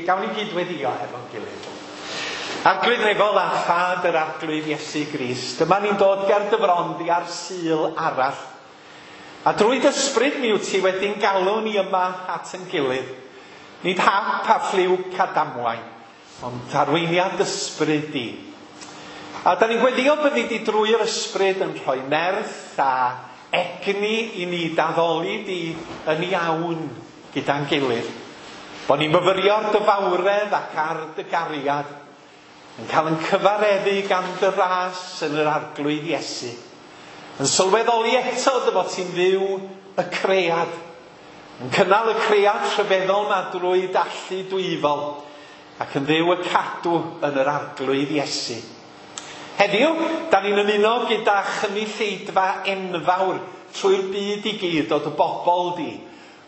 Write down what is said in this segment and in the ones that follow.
Gawn ni gyd-weddïo hefo'n gilydd. Arglwydd Nefol a Thad yr Arglwydd Iesu Grist, dyma ni'n dod ger dy fron di ar Sul arall. A drwy dy ysbryd mi wyt ti wedi'n galw ni yma at yn gilydd. Nid hap a ffliwc a damwain, ond arweiniad ysbryd di. A da ni'n gweddio byddi di drwy'r ysbryd yn rhoi nerth a egni i ni d'addoli di yn iawn gyda'n gilydd. Bo ni'n myfyrio ar dy fawredd ac ar dy gariad, yn cael yn cyfareddu gan dy ras yn yr Arglwydd Iesu, yn sylweddoli eto dy fod ti'n fyw y cread, yn cynnal y cread rhyfeddol ma drwy d'allu dwyfol, ac yn fyw y cadw yn yr Arglwydd Iesu. Heddiw, da ni'n ymuno gyda chynulleidfa enfawr trwy'r byd i gyd o dy bobl di,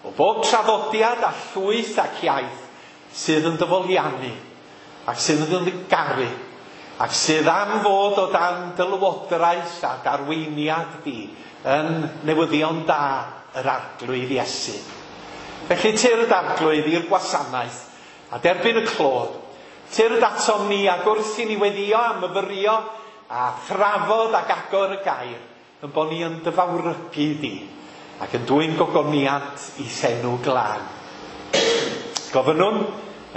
o bob traddodiad a llwyth ac iaith sydd yn dy foliannu, ac sydd yn dy garu, ac sydd am fod o dan dy lywodraeth a darweiniad di yn newyddion da yr Arglwydd Iesu. Felly tyrd Arglwydd i'r gwasanaeth a derbyn y clod. Tyrd atom ni ac wrth i ni weddio a myfyrio a thrafod ac agor y gair, yn bod ni yn dy fawrygu di ac yn dwyn gogoniant i senw glân. Gofynnwn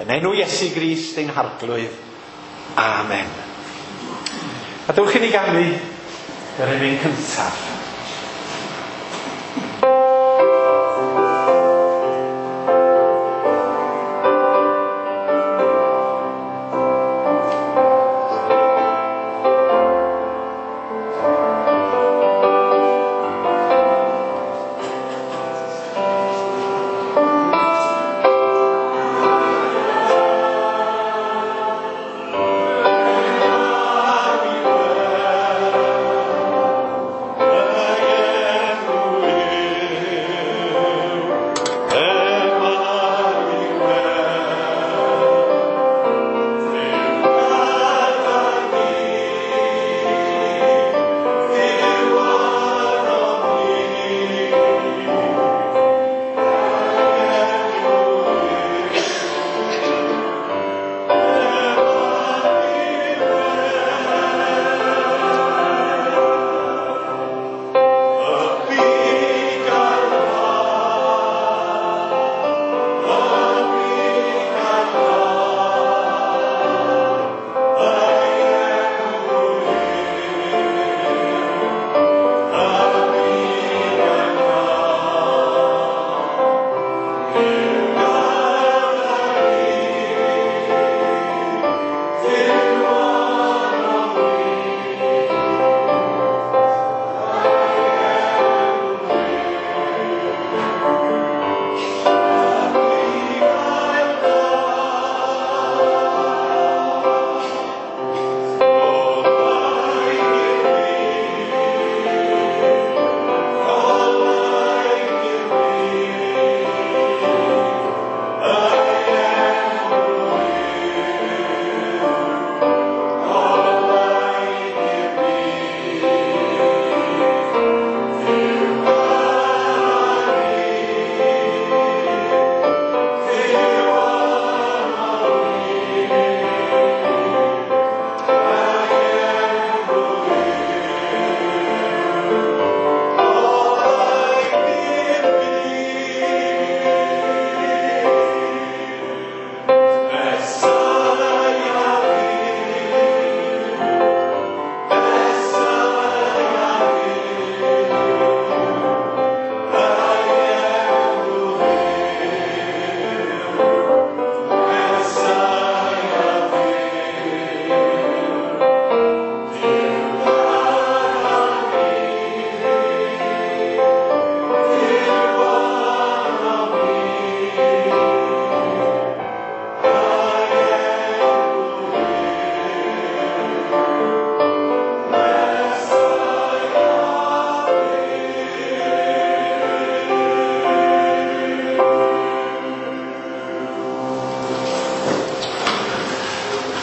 yn enw Iesu Grist ein Harglwydd. Amen. A dewch i ni ganu yr emyn cyntaf.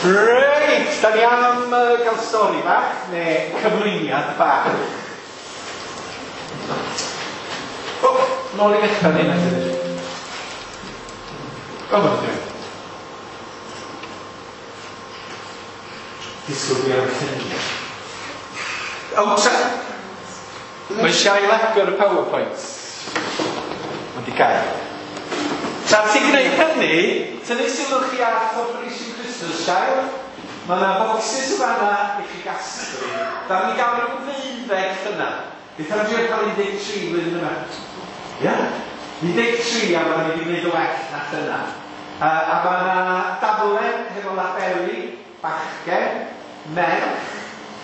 Reit, da ni am gael stori bach, neu cyflwyniad bach. O, nôl i ddechrau ni, na. O, mae'n dweud. Disgwyl fi ar y lluniau. O, tra... Mae eisiau agor y PowerPoint. Mae di gael. Tra ti'n gwneud hynny, tynnu sylw chi ar Operation Christmas Child. Mae yna boxes yn fanna i chi gasglu. Da ni gael rhyw 12 llynedd. Beth am drio cael 13 flwyddyn yma? Ia? 13 a mae ni wedi gwneud o well na llynedd. A mae yna daflen hefo labeli, bachgen, merch,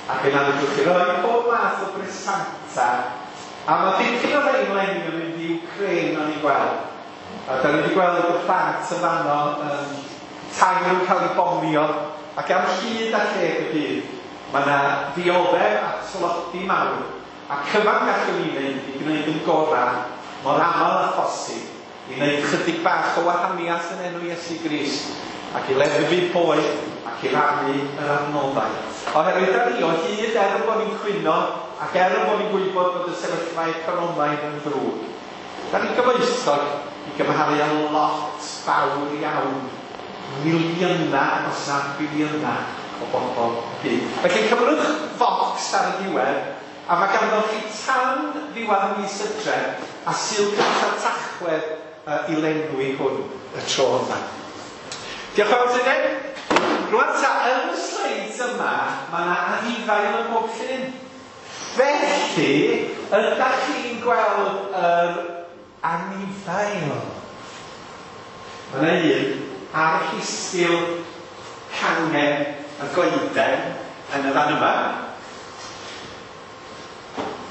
ac yna fedrwch chi roi pob math o bresanta. A mae dipyn o rhain leni yn mynd i Wcráin o'n i'n gweld. A da ni wedi gweld y plant yn fanno, tai nhw'n cael eu bomio, ac am hyd a lled y byd, mae yna ddioddef a tlodi mawr, a cyfan gallwn ni wneud ydy gwneud yn gorau, mor aml â phosib, i wneud chydig bach o wahaniaeth yn enw Iesu Grist, ac i leddfu poen, ac i rannu yr adnoddau. Oherwydd da ni o hyd, er bod ni'n cwyno, ac er bod ni'n gwybod bod y sefyllfa economaidd yn ddrwg, da ni'n gyfoethog i gymharu â lot fawr iawn, miliynau, os na biliynau o bobl y byd. Felly cymrwch focs ar y diwedd, a mae ganddo chi tan ddiwedd mis Hydref a Sul cyntaf Tachwedd i lenwi hwn y tro yma. Diolch yn fawr Tydyn. Rwan ta, yn y sleids yma, mae yna anifail yn pob llun. Felly, ydych chi'n gweld yr anifail? Mae yna un ar rhisgl cangen y goeden yn y fan yma.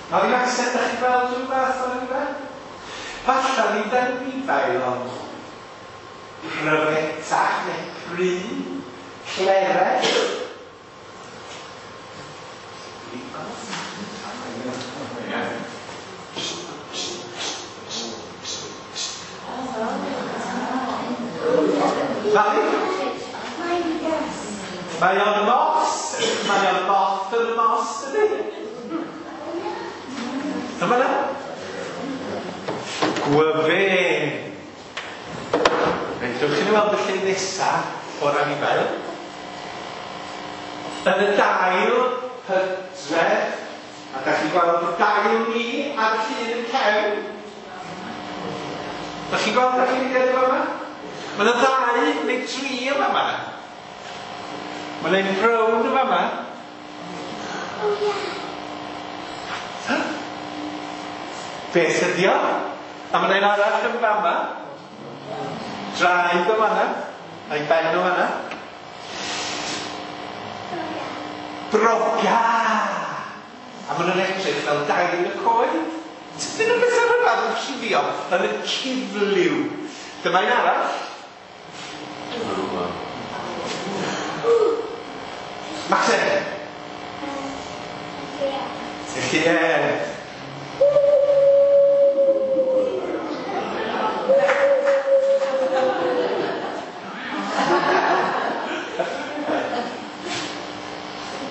Mae ddim accent, ydych chi'n gweld rhyw fath o'r anifail? Falla nid anifail, ond pryfetach neu pry, cleret. Mae o'n mos, mae o'n moth yn y mos, ydy? Dyma na. Gwyfyn. Reit, dewch chi weld y llun nesaf o'r anifail. Yn y dail hydref, a da chi'n gweld y dail ni ar y llun yn cefn. Da chi'n gweld da chi'n mynd yma? Mae yna ddau neu tri yma yma. Mae yna un brown yma yma. Beth ydi o? A mae yna un arall yn fama. Draed o fanna. A'i ben o fanna. Broga! A maen nhw'n edrych fel dail y coed. Dyn nhw'n beth rhyfedd yn cuddio yn y cuddliw. Dyma un arall. Maxen! Ie.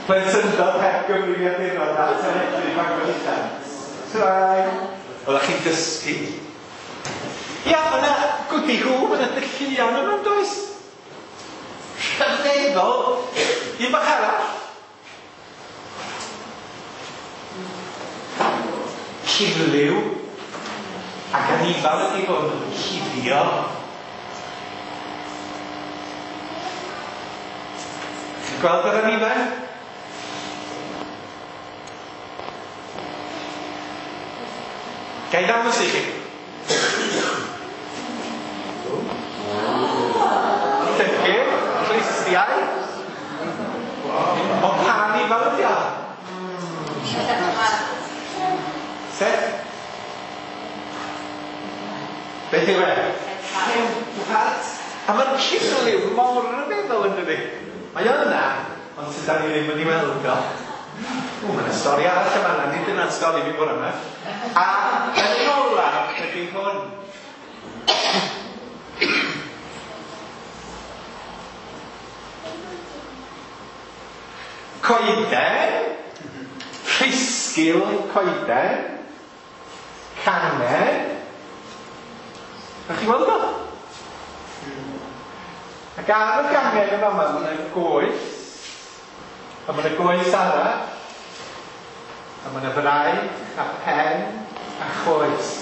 Plentyndod heb gyfrifiaduron a teledu Bangor Allan. Trai. Oeddech chi'n dysgu. Ia, mae yna gwdi hw, mae yna dylluan yma, does? Rhyfeddol. Un bach arall. Cuddliw. Ac anifail ydi hwn yn cuddio. Chi'n gweld yr anifail? Ga i ddangos i chi? Llygyd, clustiau. Ond pa anifail ydi o? Sut? Beth yw e? Llewpart. A mae'r cuddliw mor ryfeddol yn dydi? Mae o yna, ond sydd ni ddim yn ei weld o. O, mae yna stori arall yma, nid dyna'r stori fi bore yma. A yn olaf ydy hwn. Coeden, rhisgl coeden, cangen. Ydych chi'n gweld o? Ac ar y gangen yma, mae yna goes. A mae yna goes arall. A mae yna fraich a pen a choes.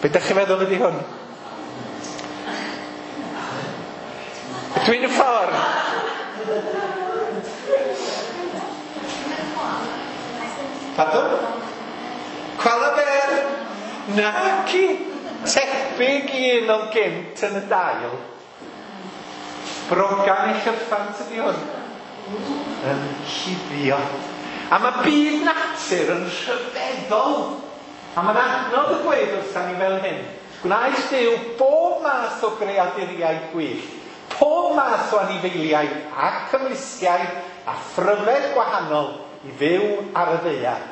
Be ydych chi'n meddwl ydy hwn? Dwi'n y ffordd. Pardon? Koala bear? Naci. Tebyg i un o'n gynt yn y dail. Brogan ei llyffant ydy hwn. Yn cuddio. A mae byd natur yn rhyfeddol. A mae'n adnodd y gweud wrthan ni fel hyn. Gwnaeth Duw bob math o greaduriaid gwyllt, pob math o anifeiliaid ac ymlusgiaid a phryfed gwahanol i fyw ar y ddaear.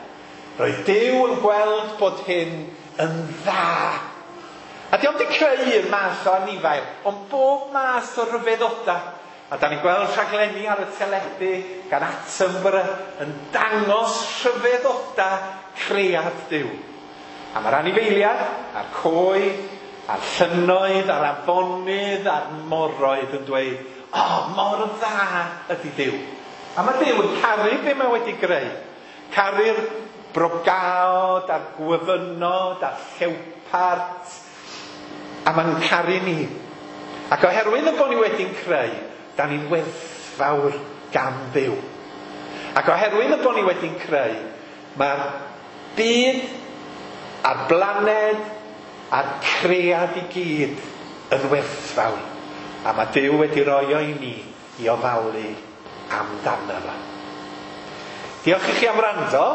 Roedd Duw yn gweld bod hyn yn dda. A dio'm 'di creu un math o anifail, ond bob math o ryfeddodau. A da ni'n gweld rhaglenni ar y teledu gan Attenborough yn dangos rhyfeddodau cread Duw. A mae'r anifeiliaid, a'r coed, a'r llynnoedd, a'r afonydd, a'r moroedd yn dweud, o, mor dda ydy Duw. A mae Duw yn caru be mae wedi greu. Caru'r brogaod, a'r gwyfynod, a'r llewpart. A mae'n caru ni. Ac oherwydd y bod ni wedi'n creu, da ni'n werthfawr gan Dduw. Ac oherwydd y bod ni wedi'n creu, mae'r byd a'r blaned a'r cread i gyd yn werthfawr. A mae Duw wedi roi o i ni i ofalu amdano fo. Diolch i chi am wrando.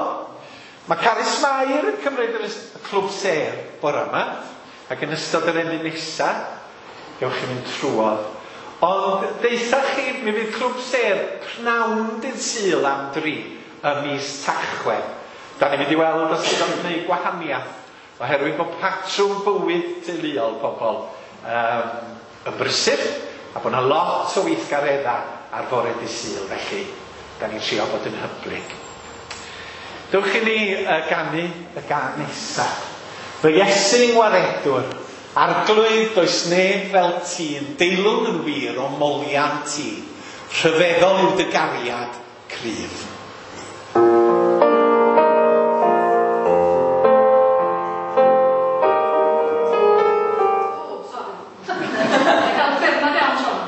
Mae Carys Mair yn cymryd y clwb sêr bore yma, ac yn ystod yr emyn nesa, gewch chi fynd trwodd. Ond deutha chi, mi fydd clwb sêr pnawn dydd Sul am 3 ym mis Tachwedd. Da ni'n mynd i weld os ydy o'n gwneud gwahaniaeth, oherwydd bod patrwm bywyd teuluol pobl yn brysur, a bod yna lot o weithgareddau ar fore dydd Sul, felly da ni'n trio bod yn hyblyg. Dewch i ni ganu y gân nesaf. Fy Iesu ngwaredwr, Arglwydd does neb fel ti, yn deilwng yn wir o moliant ti, rhyfeddol yw dy gariad cryf. Oh, sorry. Gael ffyrnad iawn, Siôn.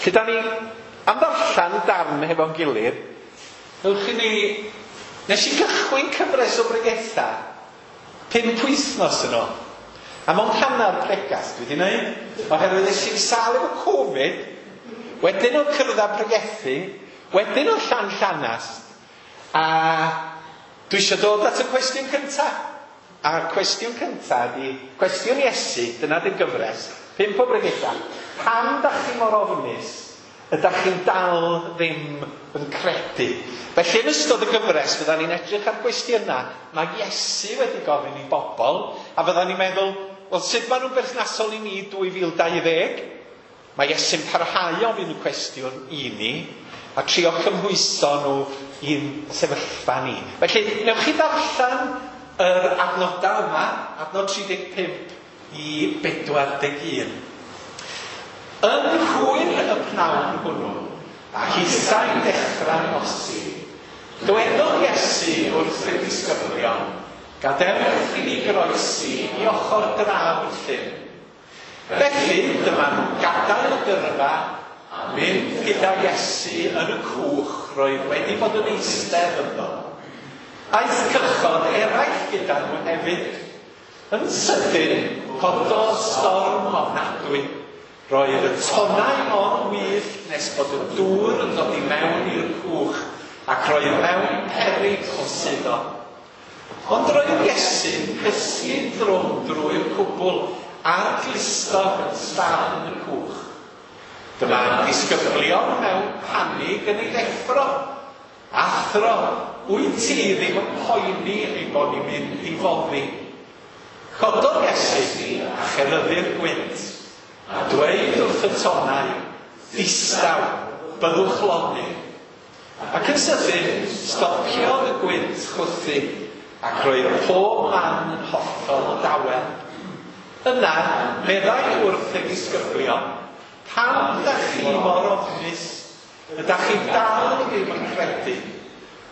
Felly da ni am ddarllen darn hefo'n gilydd. Newch i ni... Nes i gychwyn cyfres o bregetha 5 wythnos yn ôl. A mewn hanner pregath dwi wedi wneud, oherwydd nes i'n sâl efo Covid, wedyn o'n cyrraedd pregethu, wedyn o'n Llanllanast, a dwi eisiau dod at y cwestiwn cyntaf. A'r cwestiwn cyntaf ydi, cwestiwn Iesu, dyna di'r gyfres, 5 o bregetha. Pam da chi mor ofnus? Ydach chi'n dal ddim yn credu? Felly yn ystod y gyfres fydda ni'n edrych ar gwestiynau mae Iesu wedi gofyn i bobl, a fydda ni'n meddwl, wel, sut maen nhw'n berthnasol i ni 2020? Mae Iesu'n parhau ofyn y cwestiwn i ni, a trio cymhwyso nhw i'n sefyllfa ni. Felly, newch chi ddarllen yr adnodau yma, adnod 35 i 41. Yn hwyr y pnawn hwnnw, a hithau'n dechrau nosi, dywedodd Iesu wrth ei ddisgyblion, gadewch i ni groesi i ochr draw y llyn. Felly, dyma nhw'n gadael y gyrfa a mynd gyda Iesu yn y cwch roedd wedi bod yn eistedd ynddo. Aeth cychod eraill gyda nhw hefyd. Yn sydyn, cododd storm ofnadwy. Roedd y tonnau mor wyllt nes bod y dŵr yn dod i mewn i'r cwch, ac roedd mewn peryg o suddo. Ond roedd Iesu'n cysgu'n drwm drwy'r cwbl a'r glustog yn stafn y cwch. Dyma'r disgyblion mewn panig yn ei ddeffro. Athro, wyt ti ddim yn poeni ei bod ni'n mynd i foddi? Cododd Iesu a cheryddu'r gwynt, a dweud wrth y tonnau, distaw, byddwch lonydd. Ac yn sydyn, stopiodd y gwynt chwythu, ac roedd pob man yn hollol dawel. Yna, meddai wrth y disgyblion, pam da chi mor ofnus? Ydach chi dal ddim yn credu?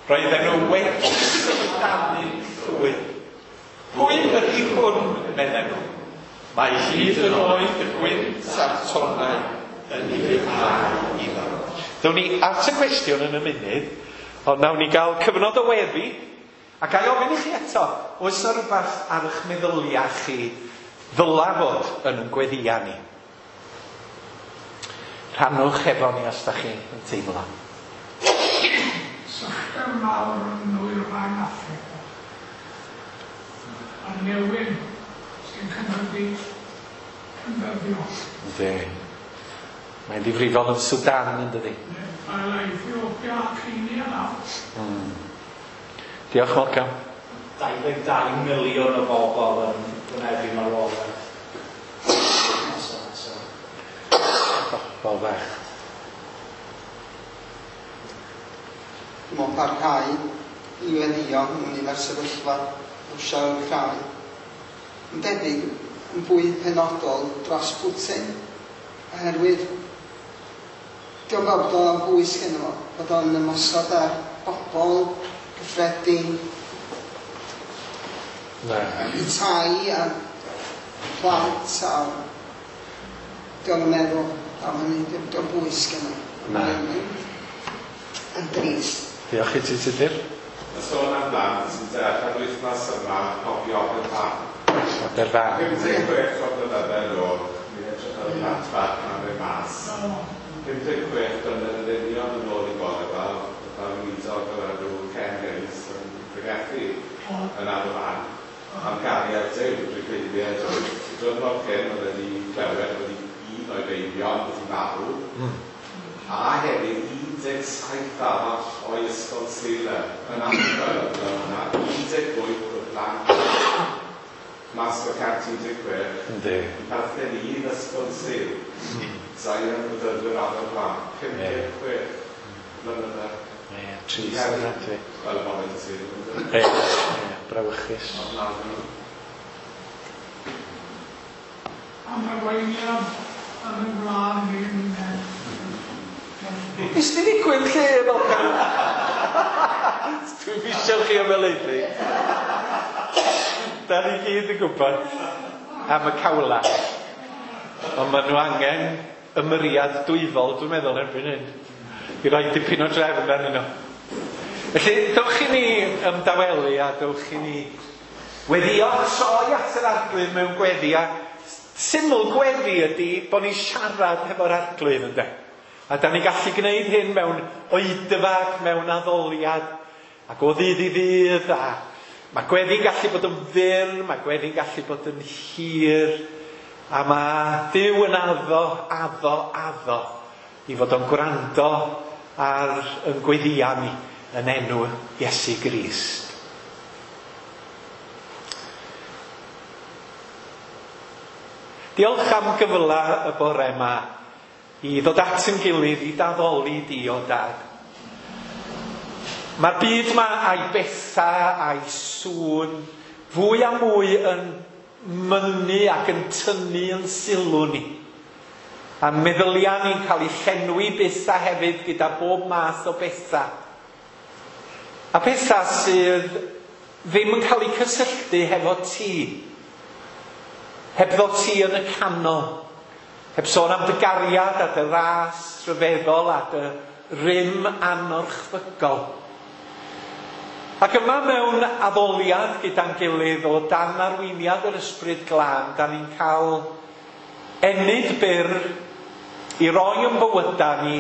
Roedden nhw wedi syfrdanu'n llwyr. Pwy ydy hwn, medden nhw? Mae hyd yn oed y gwynt a'r tonnau yn ufuddhau iddo. Ddown ni at y cwestiwn yn y munud, ond nawn ni gael cyfnod o weddi, a ga i ofyn i chi eto, oes yna rhywbeth ar eich meddyliau chi ddyla fod yn ein gweddïau ni? Rhannwch efo ni os da chi yn teimlo. Sychder mawr yn nwyrain Affrica, a newyn sy'n cynyddu yn ddyddiol. Yndi. Mae'n ddifrifol yn Sudan, yn dydi? Mae Ethiopia a Kenya nawr. Diolch, Malcolm. 22 miliwn o bobl yn wynebu marwolaeth. Bobl fach. Dwi'n meddwl parhau i weddïo ynglyn â'r sefyllfa Rwsia a'r Wcráin. Yn debyg yn fwy penodol dros Putin, oherwydd diolch fel bod o'n bwys gynno fo, bod o'n ymosod ar bobl gyffredin, i tai a plant, a diolch yn meddwl am hynny, diolch bwys gynno. Na. Yn drist. Diolch i ti, Tudur. Y sôn am blant sy'n dechrau'r wythnos yma, cofio Aberfan. Aberfan. 56 o blynydde yn ôl, ni'n edrych ar y plant bach yn arfer mas. 56 blynedd yn union yn ôl i bore fel, fel weinidog o'r enw Ken Hayes yn pregethu yn Aberfan am gariad Duw, drwy creiddiau oedd. Diwrnod cyn oedd wedi clywed wedi un o'i feibion wedi marw, a hefyd 17 arall o'i ysgol Sul yn anhygoel oedd yna, 18 o blant mas o 116. Yndi. Yn perthyn i un ysgol Sul. Zion Bedyddwyr Aberfan, 56 blynydde. Ie, trist ofnadwy. Wel, bore dy Sul. Ie, brawychus. Ofnadwy. Am arweiniad yn y wlad ni'n mynd. Nes di ddigwydd lle, Malcolm? Dwi'n eisiau chi ymhelaethu. Da ni gyd yn gwybod am y cawla. Ond maen nhw angen ymyriad dwyfol, dwi'n meddwl erbyn hyn, i roi dipyn o drefn arnyn nhw. Felly, dewch i ni ymdawelu a dewch i ni weddio troi at yr Arglwydd mewn gweddi. A syml gweddi ydy bod ni'n siarad hefo'r Arglwydd, ynde? A da ni'n gallu gwneud hyn mewn oedfag, mewn addoliad, ac o ddydd i ddydd, a mae gweddi'n gallu bod yn fyr, mae gweddi'n gallu bod yn hir, a mae Duw yn addo, addo, addo i fod o'n gwrando ar yn gweddia ni yn enw Iesu Grist. Diolch am gyfle y bore yma i ddod at yn gilydd i d'addoli di o Dad. Mae'r byd yma a'i bethau a'i sŵn fwy a mwy yn mynnu ac yn tynnu yn sylw ni. A meddyliau ni'n cael ei llenwi byth a hefyd gyda bob math o bethau. A pethau sydd ddim yn cael eu cysylltu hefo ti. Hebddo ti yn y canol. Heb sôn am dy gariad a dy ras rhyfeddol a dy rym anorchfygol. Ac yma mewn addoliad gyda'n gilydd o dan arweiniad yr Ysbryd Glân, da ni'n cael ennyd byr i roi yn bywydau ni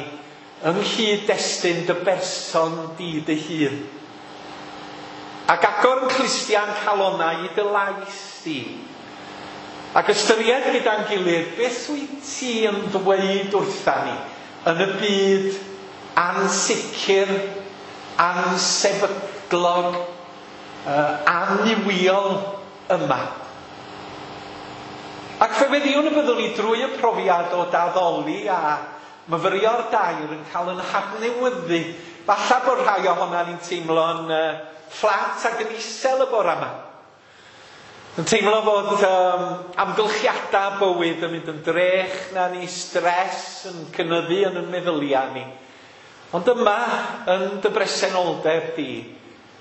yng nghyd-destun dy berson di dy hun. Ac agor yn clustiau'n calonnau i dy lais di. Ac ystyried gyda'n gilydd beth wyt ti yn ddweud wrtha ni yn y byd ansicr, ansefydlog, annuwiol yma. Ac fe weddiwn y byddwn ni drwy y profiad o d'addoli a myfyrio'r dair yn cael yn hadnewyddu. Falle bod rhai ohonan ni'n teimlo'n fflat ac yn isel y bore yma. Yn teimlo fod amgylchiadau bywyd yn mynd yn drech na ni, stres yn cynyddu yn y meddyliau ni. Ond yma, yn dy bresenoldeb di,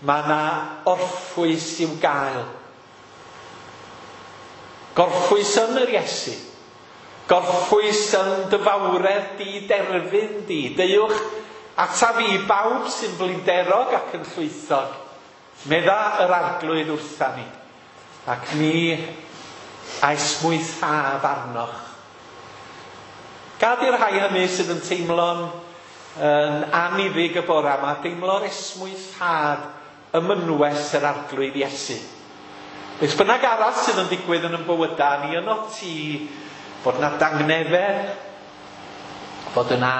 mae yna orffwys i'w gael. Gorffwys yn yr Iesu. Gorffwys yn dy fawredd di, derfyn di. Deuwch ata fi bawb sy'n blinderog ac yn llwythog. Medda yr Arglwydd wrtha ni. Ac mi a esmwythaf arnoch. Gad i'r rhai hynny sydd yn teimlo'n yn anniddig y bore yma, deimlo'r esmwythad ym mynwes yr Arglwydd Iesu. Beth bynnag arall sydd yn digwydd yn ein bywydau ni yno ti, bod yna dangnefedd, bod yna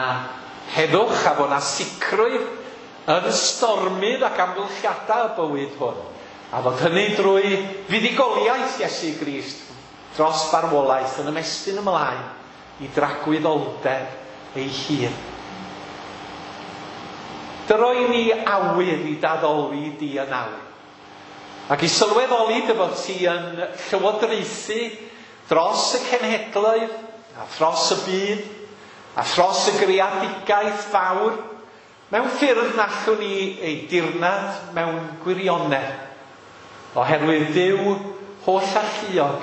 heddwch a bod yna sicrwydd yn stormydd ac amgylchiadau y bywyd hwn. A fod hynny drwy fuddugoliaeth Iesu Grist dros farwolaeth yn ymestyn ymlaen i dragwyddoldeb ei hun. Dyroi ni awydd i d'addoli di yn awr. Ac i sylweddoli dy fod ti yn llywodraethu dros y cenhedloedd, a thros y byd, a thros y greadigaeth fawr, mewn ffyrdd na allwn ni ei dirnad mewn gwirionedd, oherwydd Duw holl alluog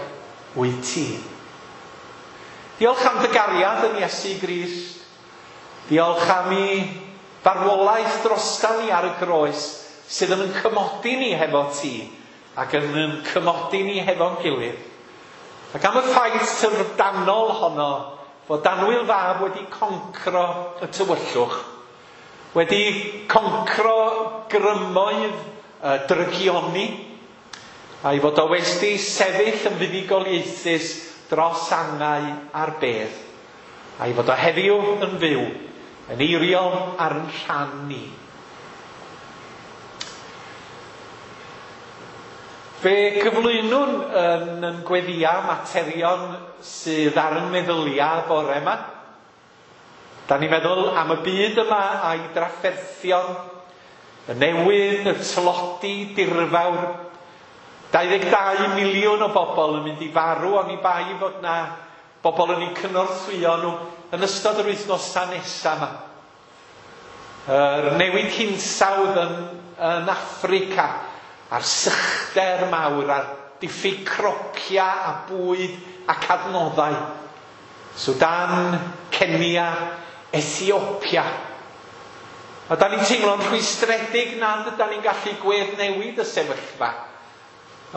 wyt ti. Diolch am dy gariad yn Iesu Grist. Diolch am i farwolaeth drosta ni ar y groes sydd yn cymodi ni hefo ti ac yn cymodi ni hefo'n gilydd. Ac am y ffaith syfrdanol honno fod annwyl fab wedi concro y tywyllwch, wedi concro grymoedd drygioni, a'i fod o wedi sefyll yn fuddugoliaethus dros angau a'r bedd, a'i fod o heddiw yn fyw, yn eiriol ar yn rhan ni. Fe gyflwynwn yn gweddia materion sydd ar yn meddyliau bore yma. Da ni'n meddwl am y byd yma a'i drafferthion, y newyn, y tlodi dirfawr. 22 miliwn o bobl yn mynd i farw oni bai fod na bobl yn eu cynorthwyo nhw yn ystod yr wythnosau nesaf yma. Yr newid hinsawdd yn Affrica, a'r sychder mawr, a'r diffyg cropia a bwyd ac adnoddau. Sudan, Kenya, Kenya, Ethiopia. A da ni'n teimlo'n rhwystredig nad ydan ni'n gallu gweddnewid y sefyllfa.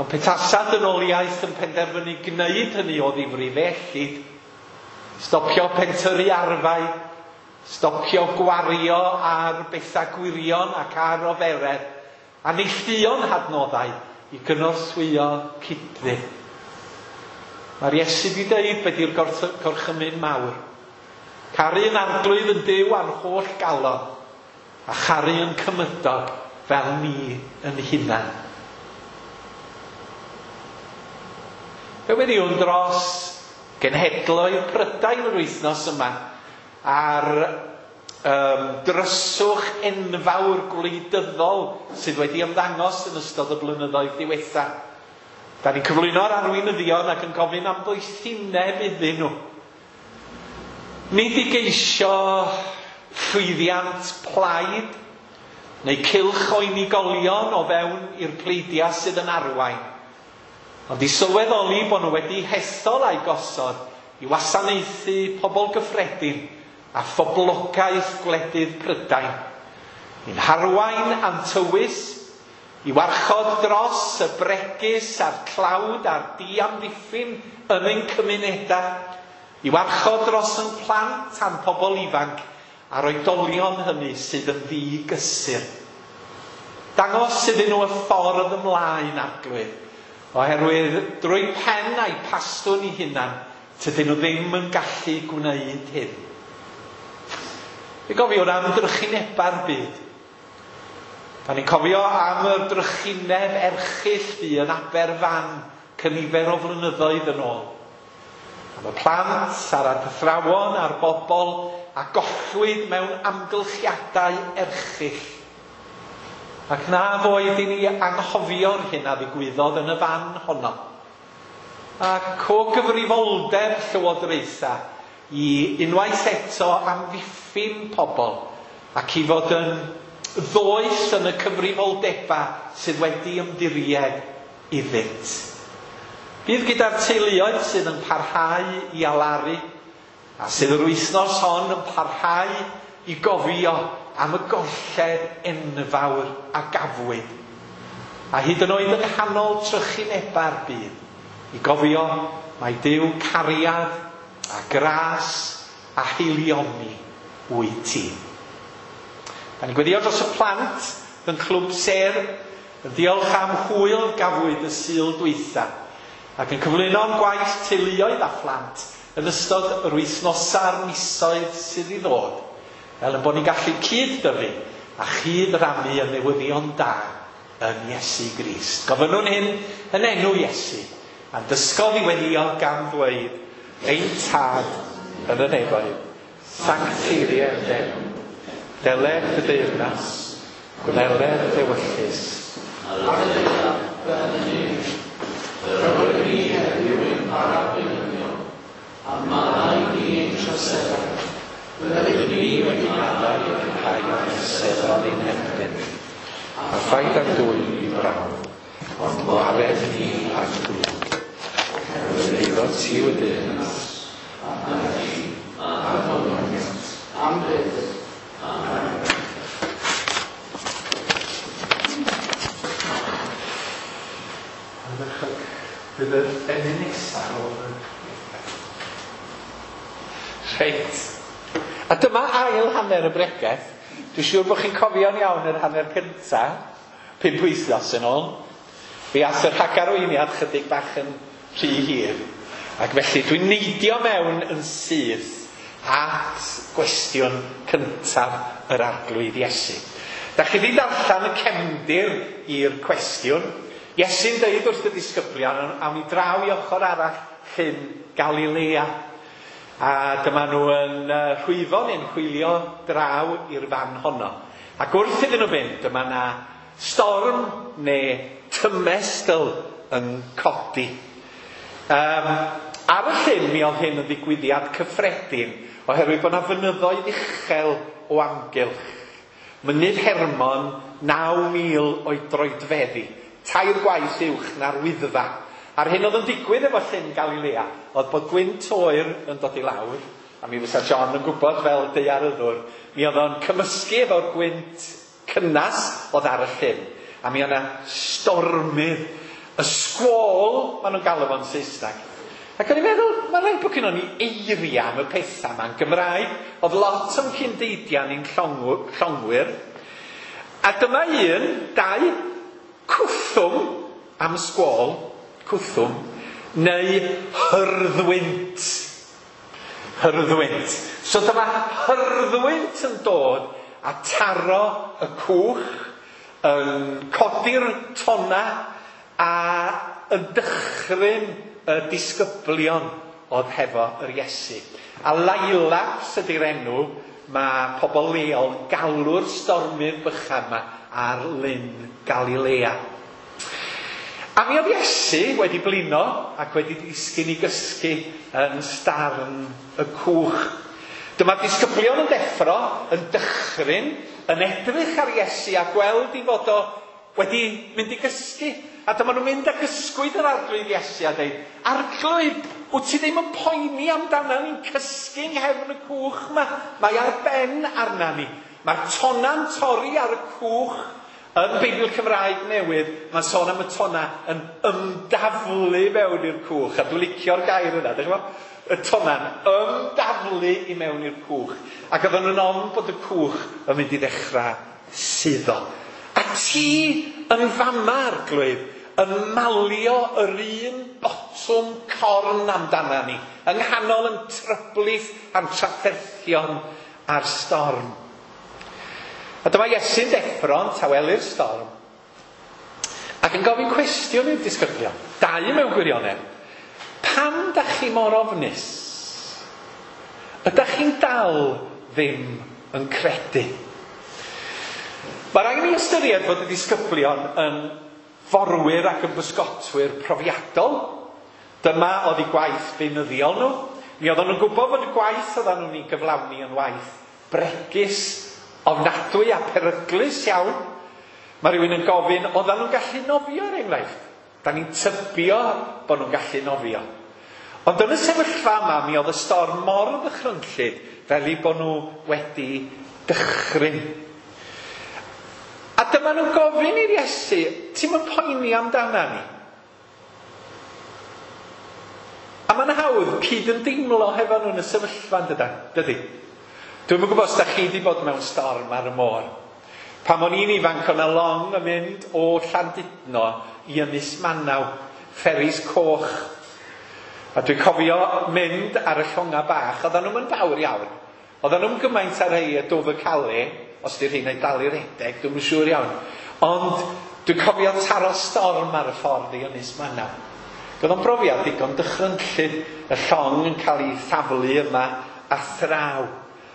Ond petasa dynoliaeth yn penderfynu gwneud hynny o ddifri fe ellid. Stopio pentyrru arfau, stopio gwario ar bethau gwirion ac ar oferedd, a neilltuo'n hadnoddau i gynorthwyo cydfyd. Mae'r Iesu wedi dweud be di'r gorchymyn mawr. Caru yn arglwydd yn Duw a'n holl galon, a charu yn cymydog fel ni yn hunan. Fe weddïwn dros genhedloedd Prydain yr wythnos yma a'r dryswch enfawr gwleidyddol sydd wedi ymddangos yn ystod y blynyddoedd diwetha. Da ni'n cyflwyno'r arweinyddion ac yn gofyn am ddoethineb iddyn nhw. Nid i geisio llwyddiant plaid neu cylch o unigolion o fewn i'r pleidiau sydd yn arwain, ond i sylweddoli bod nhw wedi hethol a'u gosod i wasanaethu pobl gyffredin a phoblogaeth gwledydd Prydain. I'n harwain a'n tywys, i warchod dros y bregus a'r tlawd a'r diamddiffyn yn ein cymunedau, i warchod dros ein plant a'n pobl ifanc a'r oedolion hynny sydd yn ddigysur. Dangos iddyn nhw y ffordd ymlaen, Arglwydd, oherwydd drwy pen a'i pastwn i hunan, tydyn nhw ddim yn gallu gwneud hyn. Fe gofiwn am drychineba'r byd. Da ni'n cofio am y drychineb erchyll fu yn Aberfan cynifer o flynyddoedd yn ôl. Am y plant a'r athrawon a'r bobl a gollwyd mewn amgylchiadau erchyll. Ac na foed i ni anghofio'r hyn a ddigwyddodd yn y fan honno. Ac o gyfrifoldeb llywodraethau i unwaith eto amddiffyn pobl ac i fod yn ddoeth yn y cyfrifoldebau sydd wedi ymddiried iddynt. Bydd gyda'r teuluoedd sydd yn parhau i alaru a sydd yr wythnos hon yn parhau i gofio am y golled enfawr a gafwyd. A hyd yn oed yng nghanol trychineba'r byd, i gofio mai Duw cariad a gras a haelioni wyt ti. Da ni'n gweddio dros y plant yn Clwb Sêr, yn diolch am hwyl gafwyd y Sul dwytha, ac yn cyflwyno'n gwaith teuluoedd a phlant yn ystod yr wythnosau a'r misoedd sydd i ddod, fel yn bod ni'n gallu cyd-dyfu a chyd-rannu y newyddion da yn Iesu Grist. Gofynnwn hyn yn enw Iesu, a'n dysgodd i weddio gan ddweud, ein Tad yn y nefoedd, sancteiddier d'enw, deled dy deyrnas, gwneler d'ewyllys. Ar y ddaear fel yn y nef. Rhoi ni heddiw ein bara beunyddiol, a maddau ni ein troseddau, fel ydym ni wedi maddau i'r rhai a throseddodd ein herbyn ni. A phaid â dwyn i brawf, ond gwared ni rhag drwg. Oherwydd eiddo ti yw y deyrnas, a'r gallu, a'r molyniant, am byth. Amen. Ardderchog. Bydd yr emyn nesaf ar ôl y Reit. A dyma ail hanner y bregeth. Dwi'n siŵr bod chi'n cofio'n iawn yr hanner cynta, 5 wythnos yn ôl. Fe ath y rhagarweiniad chydig bach yn rhy hir. Ac felly dwi'n neidio mewn yn syth at gwestiwn cyntaf yr Arglwydd Iesu. Da chi wedi darllen y cefndir i'r cwestiwn. Iesu'n dweud wrth y disgyblion, awn ni draw i ochr arall llyn Galilea. A dyma nhw yn rhwyfo neu'n hwylio draw i'r fan honno. Ac wrth iddyn nhw fynd, dyma na storm neu tymestl yn codi. Ar y llyn mi oedd hyn yn ddigwyddiad cyffredin, oherwydd bod yna fynyddoedd uchel o amgylch. Mynydd Hermon, 9,000 o'i droedfeddi, 3 gwaith uwch na'r Wyddfa. A'r hyn oedd yn digwydd efo llyn Galilea oedd bod gwynt oer yn dod i lawr A mi fysa John yn gwybod fel daearyddwr, mi oedd o'n cymysgu efo'r gwynt cynnas oedd ar y llyn. A mi oedd yna stormydd, y squall, maen nhw'n galw fo'n Saesneg. Ac o'n i'n meddwl, mae'n rhaid bod gynnon ni eiriau am y pethau yma'n Gymraeg. Oedd lot o'n cyndeidiau ni'n llongwyr. A dyma un, dau, cwthwm am squall, cwthwm, neu hyrddwynt. Hyrddwynt. So dyma hyrddwynt yn dod a taro y cwch, yn codi'r tonna a yn dychryn y disgyblion oedd hefo yr Iesu. A Lailaps ydy'r enw mae pobl leol yn galw'r stormydd bychan yma ar Lyn Galilea. A mi oedd Iesu wedi blino ac wedi disgyn i gysgu yn starn y cwch. Dyma'r disgyblion yn deffro, yn dychryn, yn edrych ar Iesu a gweld i fod o wedi mynd i gysgu. A dyma nhw'n mynd ac ysgwyd yr Arglwydd Iesu a dweud, Arglwydd, wyt ti ddim yn poeni amdana ni'n cysgu yng nghefn y cwch yma? Mae ar ben arna ni. Mae'r tonna'n torri ar y cwch. Yn Beibl Cymraeg newydd, mae'n sôn am y tonna yn ymdaflu mewn i'r cwch. A dwi'n licio'r gair yna, dych chi'n gwybod? Y tonna'n ymdaflu i mewn i'r cwch. Ac oedden nhw'n ofn bod y cwch yn mynd i ddechrau suddo. A ti yn fama, Arglwydd, yn malio yr un botwm corn amdana ni, yng nghanol yn tryblith a'n trafferthion a'r storm. A dyma Iesu'n deffro'n tawelu'r storm ac yn gofyn cwestiwn i'r disgyblion, dau mewn gwirionedd. Pam dach chi mor ofnus? Ydach chi'n dal ddim yn credu? Mae rhaid i ni ystyried fod y disgyblion yn forwyr ac yn bysgotwyr profiadol. Dyma oedd eu gwaith beunyddiol nhw. Mi oedden nhw'n gwybod fod y gwaith oedden nhw'n ei gyflawni yn waith bregus, ofnadwy a peryglus iawn. Mae rhywun yn gofyn, oedden nhw'n gallu nofio er enghraifft? Da ni'n tybio bod nhw'n gallu nofio. Ond yn y sefyllfa yma, mi oedd y storm mor ddychrynllyd fel eu bod nhw wedi dychryn. A dyma nhw'n gofyn i'r Iesu, ti'n mynd poeni amdana ni? A mae'n hawdd cyd yn deimlo hefo nhw yn y sefyllfa, dydy? Dwi'm yn gwybod os da chi wedi bod mewn storm ar y môr. Pan o'n i'n ifanc, o'n long yn mynd o Llandudno i Ynys Manaw, fferis coch. A dwi'n cofio mynd ar y llonga bach, oedden nhw'n fawr iawn. Oedden nhw'n gymaint ar rhai y Dover Calais, os di'r rheina'n dal i redeg, dwi'm yn siŵr iawn. Ond dwi'n cofio taro storm ar y ffordd i Ynys Manaw. Oedd o'n brofiad digon dychrynllyd, y llong yn cael ei thaflu yma a thraw.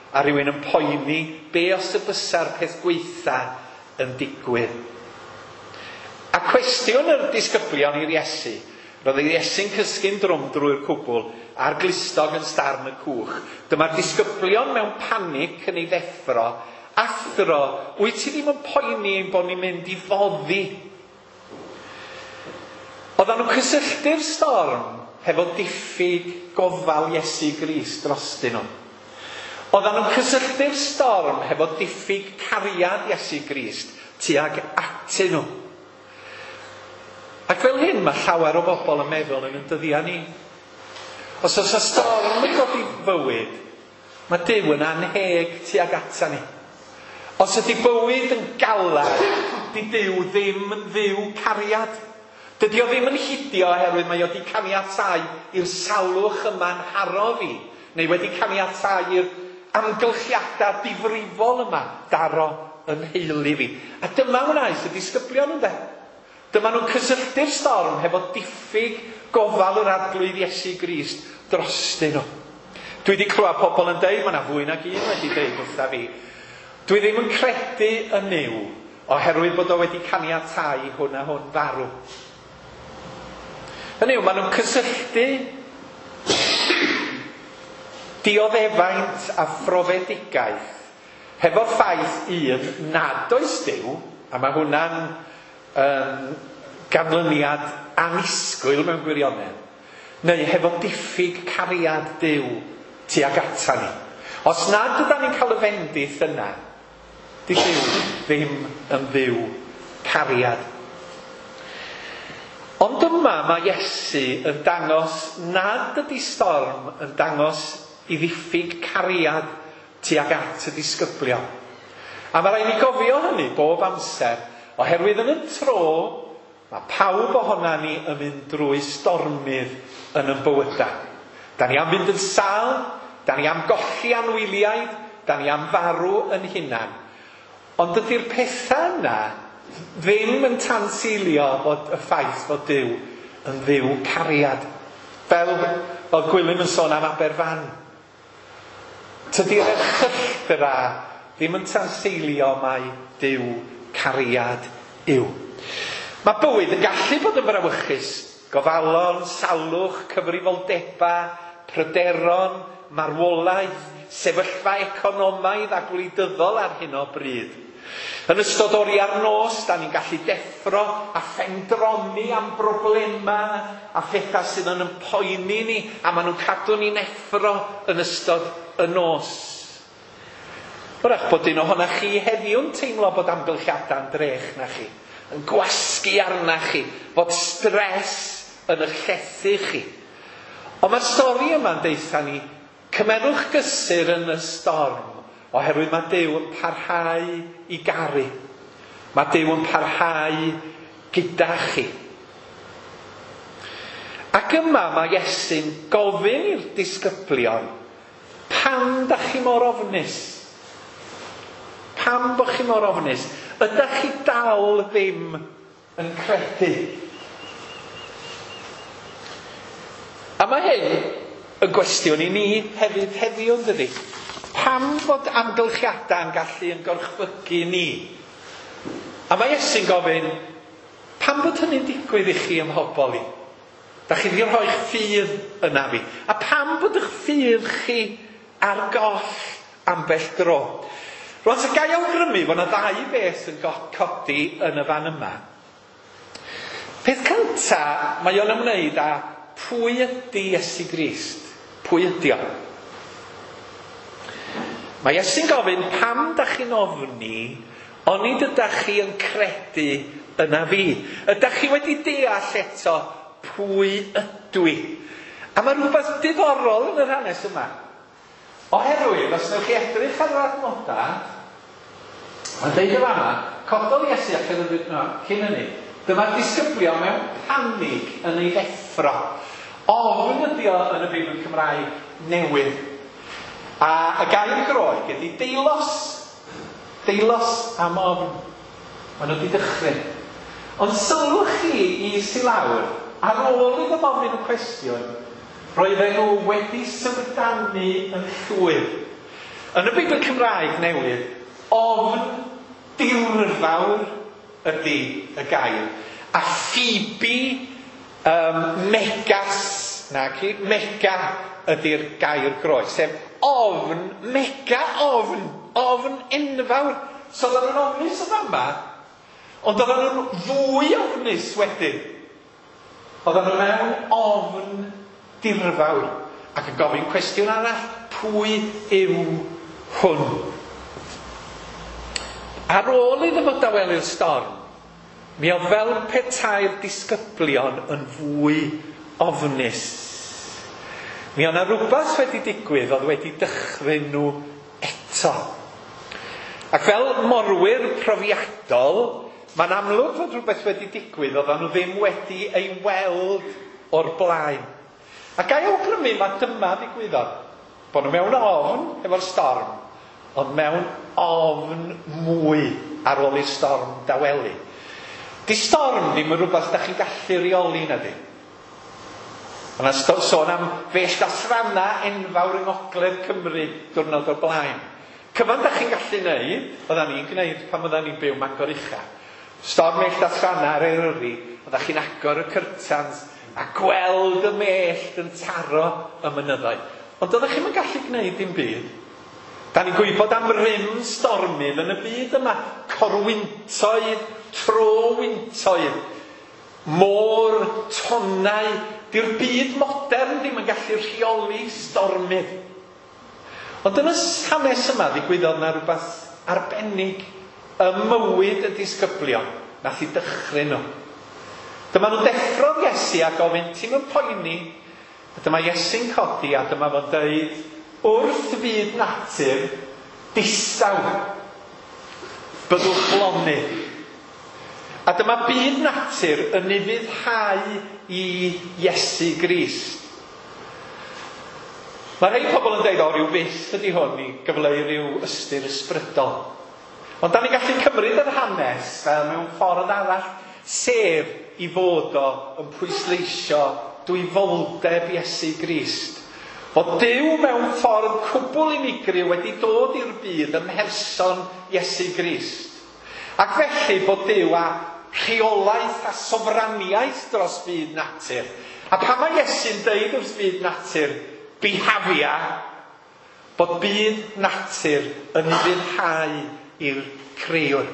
A rhywun yn poeni be os y bysa'r peth gweitha yn digwydd. A cwestiwn yr disgyblion i'r Iesu, roedd yr Iesu'n cysgu'n drwm drwy'r cwbl a'r glustog yn starn y cwch. Dyma'r disgyblion mewn panic yn ei ddeffro. Athro, wyt ti ddim yn poeni ein bod ni'n mynd i foddi? Oedden nhw'n cysylltu'r storm hefo diffyg gofal Iesu Grist drostyn nhw. Oedden nhw'n cysylltu'r storm hefo diffyg cariad Iesu Grist tuag atyn nhw. Ac fel hyn mae llawer o bobl yn meddwl yn ein dyddiau ni. Os oes y storm yn dod i fywyd, mae Duw yn anheg tuag ata ni. Os ydy bywyd yn galad, di Duw ddim yn Dduw cariad. Dydy o ddim yn hidio oherwydd mae o wedi caniatáu i'r salwch yma'n haro fi, neu wedi caniatáu i'r amgylchiadau difrifol yma daro yn heulu fi. A dyma wnaeth y disgyblion ynde. Dyma nhw'n cysylltu'r storm hefo diffyg gofal yr Arglwydd Iesu Grist drostyn nhw. Dwi wedi clywed pobl yn deud, mae yna fwy nag un wedi deud wrtha fi, dwi ddim yn credu yn Nuw oherwydd bod o wedi caniatáu hwn a hwn farw. Hynny yw, maen nhw'n cysylltu dioddefaint a phrofedigaeth hefo'r ffaith un nad oes Duw, a mae hwnna'n ganlyniad annisgwyl mewn gwirionedd, neu hefo diffyg cariad Duw tuag ata ni. Os nad ydan ni'n cael y fendith yna, di Duw ddim yn Dduw cariad. Ond yma mae Iesu yn dangos nad ydy storm yn dangos i ddiffyg cariad tuag at y disgyblion. A mae rhaid ni gofio hynny bob amser, oherwydd yn y tro mae pawb ohona ni yn mynd drwy stormydd yn ein bywydau. Da ni am fynd yn sâl, da ni am golli anwyliaid, da ni am farw yn hunan. Ond dydy'r pethau yna ddim yn tanseilio fod y ffaith fod Duw yn Dduw cariad. Fel oedd Gwilym yn sôn am Aberfan. Tydi'r erchylltra ddim yn tanseilio mai Duw cariad yw. Mae bywyd yn gallu bod yn frawychus. Gofalon, salwch, cyfrifoldeba, pryderon, marwolaeth, sefyllfa economaidd a gwleidyddol ar hyn o bryd. Yn ystod oriau'r nos, da ni'n gallu deffro a phendroni am broblemau a phethau sydd yn poeni ni, a maen nhw'n cadw ni'n effro yn ystod y nos. Wrach bod un ohonoch chi heddiw'n teimlo bod amgylchiadau'n drech na chi, yn gwasgu arna chi, bod stres yn eich llethu chi. Ond mae'r stori yma'n deutha ni, cymerwch gysur yn y storm, oherwydd mae Duw yn parhau i garu. Mae Duw yn parhau gyda chi. Ac yma mae Iesu'n gofyn i'r disgyblion, pam da chi mor ofnus? Pam bo chi mor ofnus? Ydych chi dal ddim yn credu? A mae hyn yn gwestiwn i ni hefyd heddiw, yn dydi? Pam fod amgylchiadau'n gallu yn gorchfygu ni? A mae Iesu'n gofyn, pam bod hynny'n digwydd i chi ym mhobol i? Da chi wedi rhoi'ch ffydd yna fi. A pam bod eich ffydd chi ar goll ambell dro? Rwan, so gai awgrymu fod yna ddau beth yn codi yn y fan yma. Peth cynta, mae o'n ymwneud â pwy ydy Iesu Grist? Pwy ydy o? Mae Iesu'n gofyn, pam da chi'n ofni, onid ydach chi yn credu yna fi? Ydach chi wedi deall eto pwy ydw i? A mae rhywbeth diddorol yn yr hanes yma. Oherwydd, os wnewch chi edrych ar yr adnodau, mae'n deud yn fama, cododd Iesu allan yn no, cyn hynny, dyma'r disgyblion mewn panig yn ei ddeffro. Ofn ydi o yn y Beibl Cymraeg newydd. A y gair Groeg ydy deilos. Deilos am ofn. Maen nhw wedi dychryn. Ond sylwch chi i si lawr, ar ôl iddo ofyn y cwestiwn, roedden nhw wedi syfrdanu yn llwyr. Yn y Beibl Cymraeg newydd, ofn dirfawr ydy y gair. A Phoebe megas, naci, mega ydy'r gair Groeg, sef ofn, mega ofn, ofn enfawr. So oedden nhw'n ofnus yn fama, ond oedden nhw'n fwy ofnus wedyn. Oedden nhw mewn ofn dirfawr ac yn gofyn cwestiwn arall, pwy yw hwn? Ar ôl iddo fo dawelu'r storm, mi oedd fel petai'r disgyblion yn fwy ofnus. Mi oedd 'na rhywbeth wedi digwydd oedd wedi dychryn nhw eto. Ac fel morwyr profiadol, mae'n amlwg fod rhywbeth wedi digwydd oedden nhw ddim wedi ei weld o'r blaen. A gai awgrymu mae dyma ddigwyddodd. Bod nhw mewn ofn efo'r storm, ond mewn ofn mwy ar ôl i'r storm dawelu. Di storm ddim yn rhywbeth da chi'n gallu reoli na di. Yna sôn am fellt a thrannau enfawr yng Ngogledd Cymru diwrnod o'r blaen. Cyfan da chi'n gallu neud, oeddan ni'n gwneud pan oeddan ni'n byw Mangor Ucha. Storm mellt a thrannau ar Eryri, oeddach chi'n agor y curtains a gweld y mellt yn taro y mynyddoedd. Ond oeddech chi'm yn gallu gwneud dim byd. Da ni'n gwybod am rym stormydd yn y byd yma. Corwyntoedd, trowyntoedd, môr, tonnau. Di'r byd modern ddim yn gallu rheoli stormydd. Ond yn y hanes yma ddigwyddodd na rhywbeth arbennig ym mywyd y disgyblion nath i dychryn nhw. Dyma nhw'n deffro'r Iesu a gofyn, "Ti'm yn poeni?" A dyma Iesu'n codi a dyma fo'n dweud, "Wrth fyd natur, distaw, byddwch lonydd." A dyma byd natur yn ufuddhau i Iesu Grist. Mae rhai pobl yn dweud, "O, rhyw fyth ydy hwn i gyfleu rhyw ystyr ysbrydol." Ond da ni'n gallu cymryd yr hanes fel mewn ffordd arall, sef i fod o yn pwysleisio dwyfoldeb Iesu Grist. Fod Duw mewn ffordd cwbl unigryw wedi dod i'r byd ym mherson Iesu Grist. Ac felly bod Duw â rheolaeth a sofraniaeth dros byd natur. A pan mae Iesu'n deud wrth byd natur, "Bihafia," bod byd natur yn ufuddhau i'r crëwr.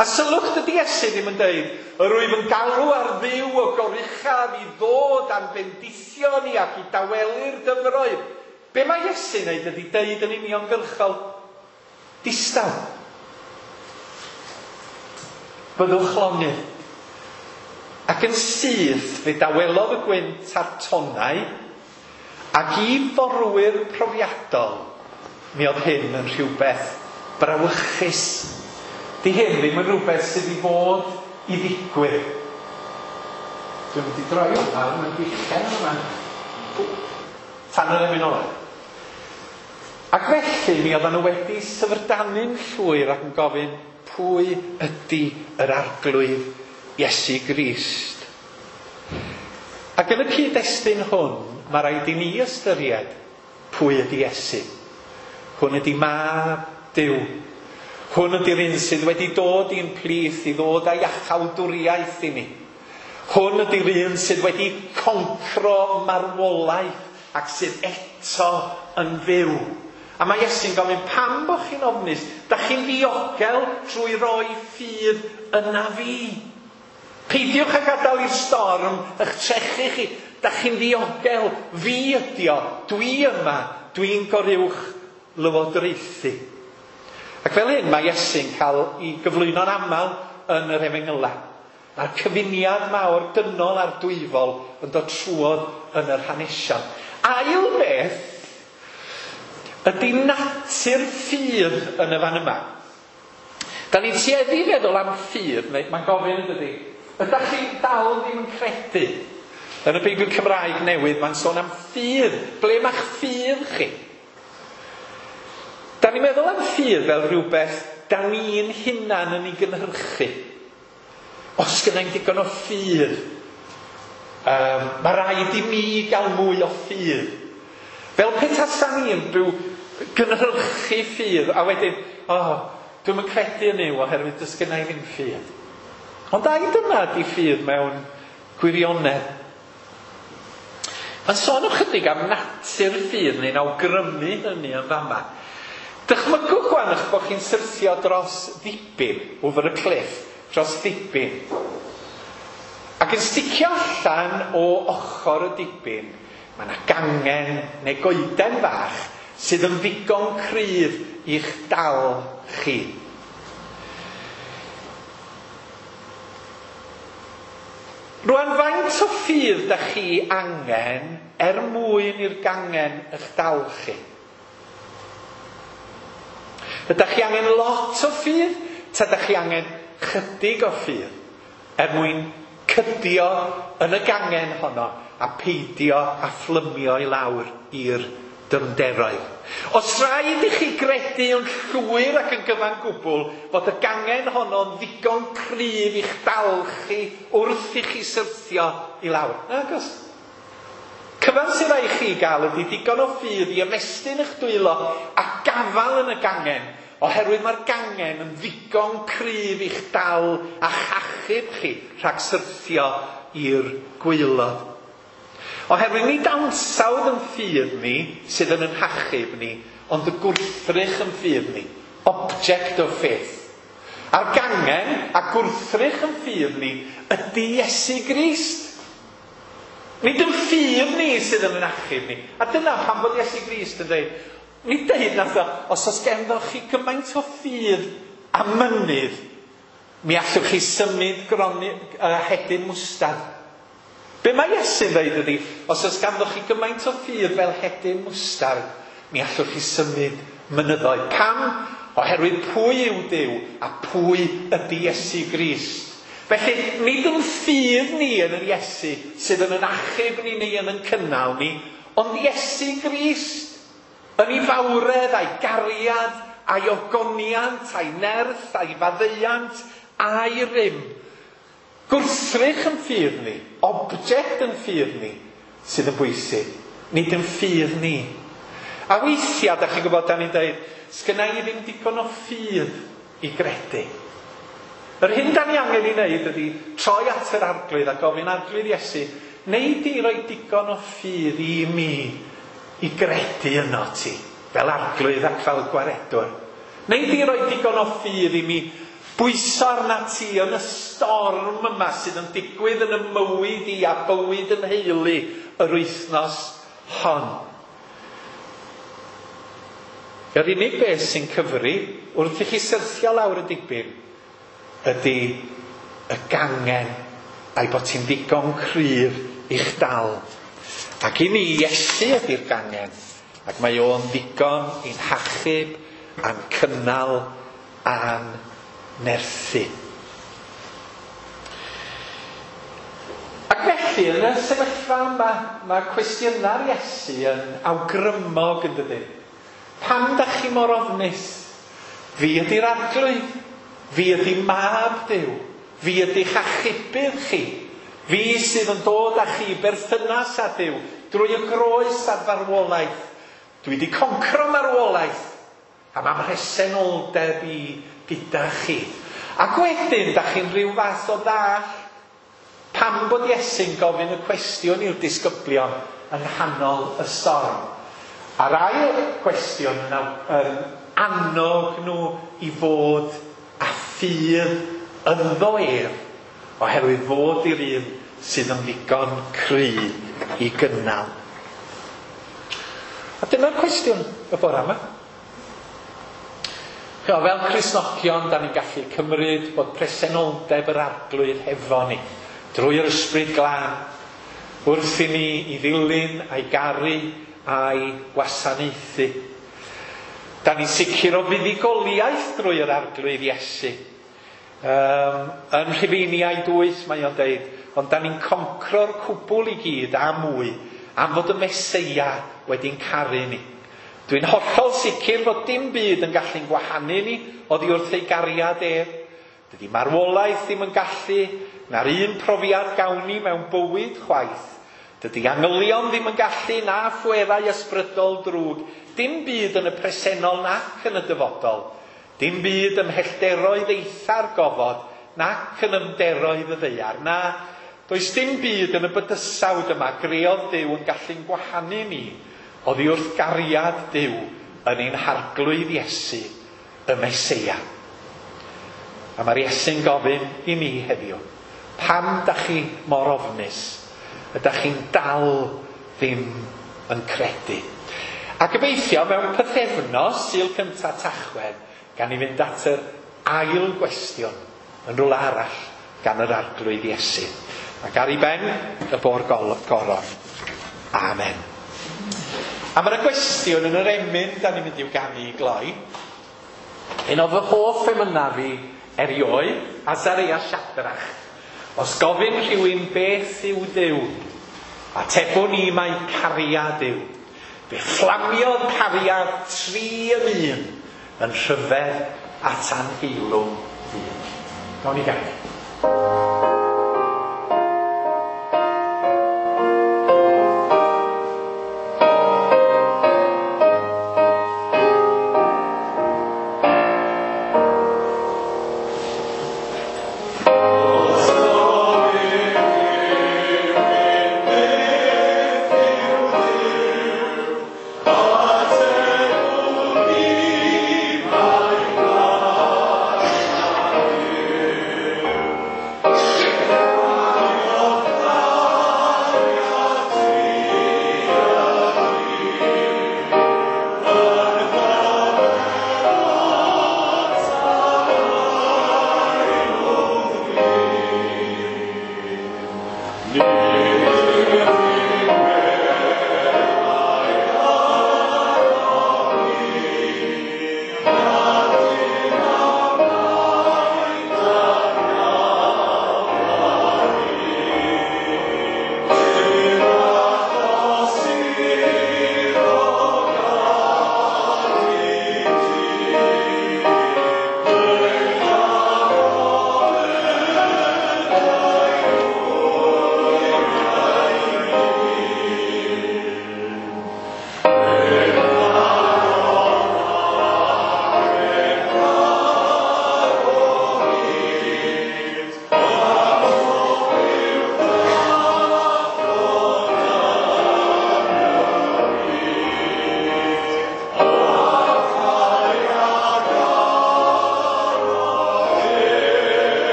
A sylwch, dydy Iesu ddim yn deud, "Yr wyf yn galw ar Dduw o goruchaf i ddod a'n bendithio ni ac i dawelu'r dyfroedd." Be mae Iesu'n neud ydy deud yn uniongyrchol, "Distaw. Byddwch lonydd." Ac yn syth fe dawelodd y gwynt a'r tonnau, ac i forwyr profiadol, mi oedd hyn yn rhywbeth brawychus. Di hyn ddim yn rhywbeth sydd i fod i ddigwydd. Dwi'n mynd i droi hwnna, mae'n gwichen yma. Tan yr emyn ola. Ac felly mi oedden nhw wedi syfrdanu'n llwyr ac yn gofyn, pwy ydy yr Arglwydd Iesu Grist? Ac yn y cyd-destun hwn, mae rhaid i ni ystyried pwy ydy Iesu. Hwn ydy Mab Duw. Hwn ydy'r un sydd wedi dod i'n plith i ddod â iachawdwriaeth i ni. Hwn ydy'r un sydd wedi concro marwolaeth ac sydd eto yn fyw. A mae Iesu'n gofyn, pam bod chi'n ofnus? Da chi'n ddiogel trwy roi ffydd yna fi. Peidiwch â gadael i'r storm eich trechu chi. Da chi'n ddiogel, fi ydi o, dwi yma, dwi'n goruwch lywodraethu. Ac fel hyn mae Iesu'n cael ei gyflwyno'n aml yn yr Efengylau. Mae'r cyfuniad mawr dynol a'r dwyfol yn dod trwodd yn yr hanesion. Ail beth ydy natur ffydd yn y fan yma. Da ni'n tueddu i feddwl am ffydd, neu mae'n gofyn yn dydy, ydych chi dal ddim yn credu? Yn y Beibl Cymraeg newydd mae'n sôn am ffydd. Ble mae'ch ffydd chi? Da ni'n meddwl am ffydd fel rhywbeth da ni'n hunan yn ei gynhyrchu. Os gynna i'm digon o ffydd, mae rhaid i mi gael mwy o ffydd. Fel petasa ni yn byw gynhyrchu ffydd, a wedyn, o, dwi'm yn credu yn Nuw oherwydd does gynna i ddim ffydd. Ond ai dyna ydy ffydd mewn gwirionedd? Mae'n sôn ychydig am natur ffydd neu'n awgrymu hynny yn fama. Dychmygwch gwan eich bod chi'n syrthio dros ddibyn, over a cliff, dros ddibyn. Ac yn sticio allan o ochr y dibyn, mae yna gangen neu goeden fach sydd yn ddigon cryf i'ch dal chi. Rwan, faint o ffydd da chi angen er mwyn i'r gangen eich dal chi? Ydych chi angen lot o ffydd? Ta ydych chi angen chydig o ffydd er mwyn cydio yn y gangen honno a peidio a phlymio i lawr i'r dyfnderoedd? Os rhaid i chi gredu yn llwyr ac yn gyfan gwbl fod y gangen honno'n ddigon cryf i'ch dal chi wrth i chi syrthio i lawr. Nag oes. Cyfan sydd rhaid chi gael ydy digon o ffydd i ymestyn eich dwylo a gafael yn y gangen, oherwydd mae'r gangen yn ddigon cryf i'ch dal a chachub chi rhag syrthio i'r gwaelod. Oherwydd nid ansawdd yn ffydd ni sydd yn ein hachub ni, ond y gwrthrych yn ffydd ni, object of faith. A'r gangen a gwrthrych yn ffydd ni ydy Iesu Grist. Nid yn ffydd ni sydd yn ein achub ni. A dyna pam bod Iesu Grist yn dweud, Nid deud nath o, os oes genddoch chi gymaint o ffydd a mynydd, mi allwch chi symud groni, hedyn mwstad. Be mae Iesu'n dweud ydy, os oes ganddoch chi gymaint o ffydd fel hedyn mwstard, mi allwch chi symud mynyddoedd. Pam? Oherwydd pwy yw Duw a pwy ydy Iesu Grist. Felly, nid yn ffydd ni yn yr Iesu sydd yn yn achub ni neu yn yn cynnal ni, ond Iesu Grist yn ei fawredd a'i gariad, a'i ogoniant, a'i nerth, a'i faddeuant, a'i rym. Gwrthrych yn ffydd ni, object yn ffydd ni, sydd yn bwysig, nid yn ffydd ni. A weithiau, da chi'n gwybod, da ni'n dweud, sgynna i ddim digon o ffydd i gredu. Yr hyn da ni angen ei wneud ydy troi at yr Arglwydd a gofyn Arglwydd Iesu, neu di roi digon o ffydd i mi i gredu yno ti, fel Arglwydd ac fel Gwaredwr. Neu di roi digon o ffydd i mi bwyso arna ti yn y storm yma sydd yn digwydd yn y mywyd i a bywyd yn heulu yr wythnos hon. Yr unig beth sy'n cyfri wrth i chi syrthio lawr y dibyn ydy y gangen a'i bod ti'n ddigon cryf i'ch dal. Ac i ni, Iesu ydy'r gangen, ac mae o'n ddigon i'n hachub a'n cynnal a'n nerthu. Ac felly, yn y sefyllfa yma, mae cwestiynau'r Iesu yn awgrymog yn dydy. Pam da chi mor ofnus? Fi ydy'r Arglwydd. Fi ydy mab Duw. Fi ydy'ch achubydd chi. Fi sydd yn dod â chi berthynas â Duw drwy y groes a'r farwolaeth. Dwi wedi concro marwolaeth a mae mhresenoldeb i gyda chi. Ac wedyn, da chi'n rhyw fath o ddall pam bod Iesu'n gofyn y cwestiwn i'r disgyblion yng nghanol y storm. A'r ail cwestiwn yn annog nhw i fod â ffydd ynddo ef, oherwydd fod i'r un sydd yn ddigon cry i gynnal. A dyna'r cwestiwn y bore yma. Fel Cristnogion, da ni'n gallu cymryd bod presenoldeb yr Arglwydd hefo ni, drwy'r Ysbryd Glân, wrth i ni i ddilyn a'i garu a'i gwasanaethu. Da ni'n sicr o fuddugoliaeth drwy yr Arglwydd Iesu. Yn Rhufeiniau 8 mae o'n deud, ond da ni'n concro'r cwbl i gyd a mwy am fod y Meseia wedi'n caru ni. Dwi'n hollol sicr fod dim byd yn gallu'n gwahanu ni oddi wrth ei gariad ef. Dydy marwolaeth ddim yn gallu, na'r un profiad gawn ni mewn bywyd chwaith. Dydy angylion ddim yn gallu na phwerau ysbrydol drwg. Dim byd yn y presennol nac yn y dyfodol. Dim byd ym mhellteroedd eitha'r gofod nac yn ymderoedd y ddaear. Na, does dim byd yn y bydysawd yma greodd Duw yn gallu'n gwahanu ni oddi wrth gariad Duw yn ein Harglwydd Iesu, y Meseia. A mae'r Iesu'n gofyn i ni heddiw, pam da chi mor ofnus? Ydych chi'n dal ddim yn credu? A gobeithio mewn pythefnos, Sul cyntaf Tachwedd, gan i fynd at yr ail gwestiwn yn rhywle arall gan yr Arglwydd Iesu. Ac ar ei ben y bo'r goron. Amen. A mae'r gwestiwn yn yr emyn da ni'n mynd i'w ganu i gloi. Un o fy hoff emynau fi erioed, Azaria Shadrach. Os gofyn rhywun beth yw Duw, atebwn ni mai cariad yw. Fe fflamiodd cariad 3 yn 1 yn rhyfedd at anheilwng ddyn. Gawn ni ganu. Thank you.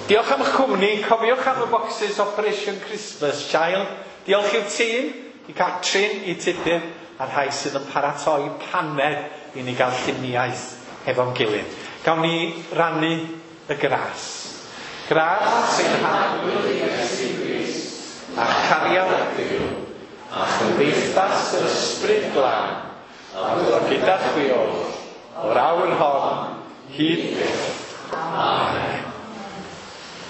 Diolch am eich cwmni. Cofiwch am y boxes Operation Christmas Child. Diolch i'r tîm, i Catrin, i Tudur, a'r rhai sydd yn paratoi paned i ni gael lluniaeth hefo'n gilydd. Gawn ni rannu y gras. Gras ein Harglwydd Iesu Grist, a chariad Duw, a chymdeithas yr Ysbryd Glân, a fyddo gyda chwi oll, o'r awr hon, hyd byth.